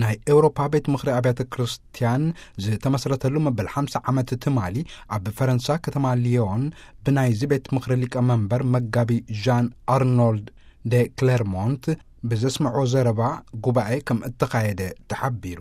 ናይ ኤውሮፓ ቤት ምኽሪ ኣብያተ ክርስቲያን ዝተመስረተሉ መበል ሓምሳ ዓመት ትማሊ፣ ኣብ ፈረንሳ ከተማ ሊዮን ብናይዚ ቤት ምኽሪ ሊቀመንበር መጋቢ ዣን ኣርኖልድ ደ ክሌርሞንት ብዘስምዖ ዘረባ፣ ጉባኤ ከም እተኻየደ ተሓቢሩ።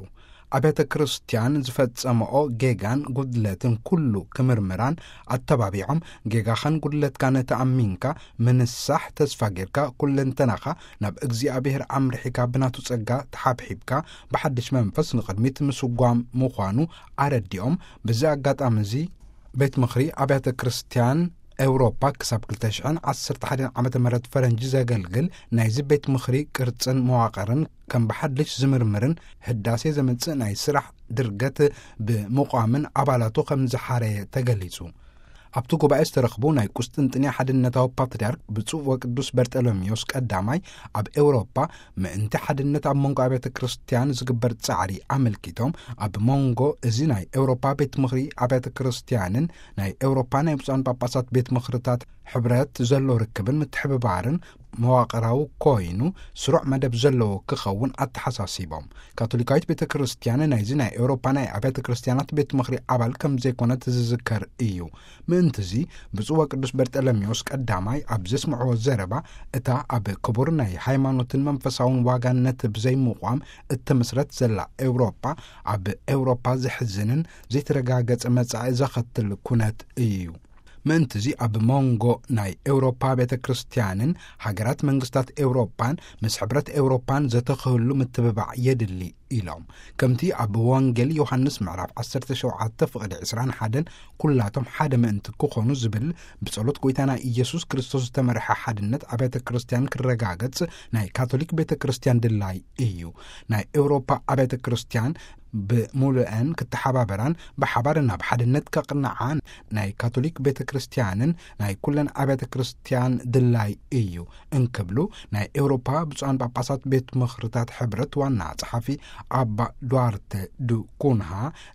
ኣብያተ ክርስቲያን ዝፈጸመኦ ጌጋን ጉድለትን ኩሉ ክምርምራን ኣተባቢዖም፣ ጌጋኻን ጉድለትካን ተኣሚንካ ምንሳሕ ተስፋ ጌርካ፣ ኩለንተናኻ ናብ እግዚኣብሔር ኣምርሒካ፣ ብናቱ ጸጋ ተሓብሒብካ ብሓድሽ መንፈስ ንቕድሚት ምስጓም ምዃኑ ኣረዲኦም። በዚ ኣጋጣሚ እዚ ቤት ምኽሪ ኣብያተ ክርስቲያን ኤውሮፓ ክሳብ ክልተ ሽሕን ዓሰርተ ሓደን ዓመተ ምህረት ፈረንጂ ዘገልግል ናይዚ ቤት ምኽሪ ቅርጽን መዋቕርን ከም ብሓድሽ ዝምርምርን ህዳሴ ዘምጽእ ናይ ስራሕ ድርገት ብምቋምን ኣባላቱ ከም ዝሓረየ ተገሊጹ። ኣብቲ ጉባኤ ዝተረኽቡ ናይ ቁስጥንጥንያ ሓድነታዊ ፓትርያርክ ብፁዕ ወቅዱስ በርጠሎሜዎስ ቀዳማይ፣ ኣብ ኤውሮፓ ምእንቲ ሓድነት ኣብ መንጎ ኣብያተ ክርስቲያን ዝግበር ጻዕሪ ኣመልኪቶም፣ ኣብ መንጎ እዚ ናይ ኤውሮፓ ቤት ምኽሪ ኣብያተ ክርስቲያንን ናይ ኤውሮፓ ናይ ብፁዓን ጳጳሳት ቤት ምኽርታት ሕብረት ዘሎ ርክብን ምትሕብባርን መዋቕራዊ ኮይኑ ስሩዕ መደብ ዘለዎ ክኸውን ኣተሓሳሲቦም። ካቶሊካዊት ቤተ ክርስቲያን ናይዚ ናይ ኤውሮፓ ናይ ኣብያተ ክርስቲያናት ቤት ምኽሪ ኣባል ከም ዘይኮነት ዝዝከር እዩ። ምእንትዚ ብፁዕ ወቅዱስ በርጠለሜዎስ ቀዳማይ ኣብ ዘስምዕዎ ዘረባ፣ እታ ኣብ ክቡር ናይ ሃይማኖትን መንፈሳውን ዋጋነት ብዘይምቋም እትምስረት ዘላ ኤውሮፓ፣ ኣብ ኤውሮፓ ዘሕዝንን ዘይተረጋገጸ መጻኢ ዘኸትል ኩነት እዩ። ምእንትዚ ኣብ መንጎ ናይ ኤውሮፓ ቤተ ክርስቲያንን ሃገራት መንግስታት ኤውሮፓን ምስ ሕብረት ኤውሮፓን ዘተኽህሉ ምትብባዕ የድሊ ኢሎም። ከምቲ ኣብ ወንጌል ዮሃንስ ምዕራፍ ዓሰርተ ሸውዓተ ፍቕዲ ዕስራን ሓደን ኩላቶም ሓደ ምእንቲ ክኾኑ ዝብል ብጸሎት ጎይታና ኢየሱስ ክርስቶስ ዝተመርሐ ሓድነት ኣብያተ ክርስቲያን ክረጋገጽ ናይ ካቶሊክ ቤተ ክርስቲያን ድላይ እዩ። ናይ ኤውሮፓ ኣብያተ ክርስቲያን ብምሉአን ክተሓባበራን ብሓባር ናብ ሓድነት ከቕንዓን ናይ ካቶሊክ ቤተ ክርስቲያንን ናይ ኩለን ኣብያተ ክርስቲያን ድላይ እዩ እንክብሉ ናይ ኤውሮፓ ብፁዓን ጳጳሳት ቤት ምኽርታት ሕብረት ዋና ጸሓፊ ኣባ ዱዋርተ ዱ ኩንሃ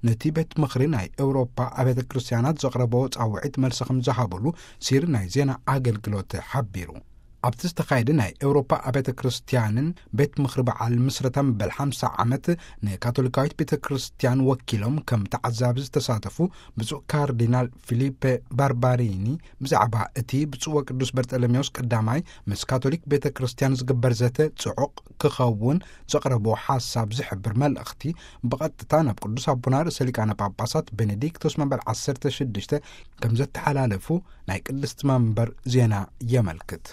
ነቲ ቤት ምኽሪ ናይ ኤውሮፓ ኣብያተ ክርስቲያናት ዘቕረቦ ጻውዒት መልሲ ከም ዝሃብሉ ሲር ናይ ዜና ኣገልግሎት ሓቢሩ። ኣብቲ ዝተኻየደ ናይ ኤውሮፓ ኣብያተ ክርስቲያንን ቤት ምኽሪ በዓል ምስረታ መበል ሓምሳ ዓመት ንካቶሊካዊት ቤተ ክርስቲያን ወኪሎም ከም ተዓዛቢ ዝተሳተፉ ብፁዕ ካርዲናል ፊሊፔ ባርባሪኒ ብዛዕባ እቲ ብፁዕ ወቅዱስ በርጠለሜዎስ ቀዳማይ ምስ ካቶሊክ ቤተ ክርስቲያን ዝግበር ዘተ ጽዑቕ ክኸውን ዘቕረቦ ሓሳብ ዝሕብር መልእኽቲ ብቐጥታ ናብ ቅዱስ ኣቦና ርእሰ ሊቃነ ጳጳሳት ቤኔዲክቶስ መበል ዓሰርተ ሽዱሽተ ከም ዘተሓላለፉ ናይ ቅድስቲ መንበር ዜና የመልክት።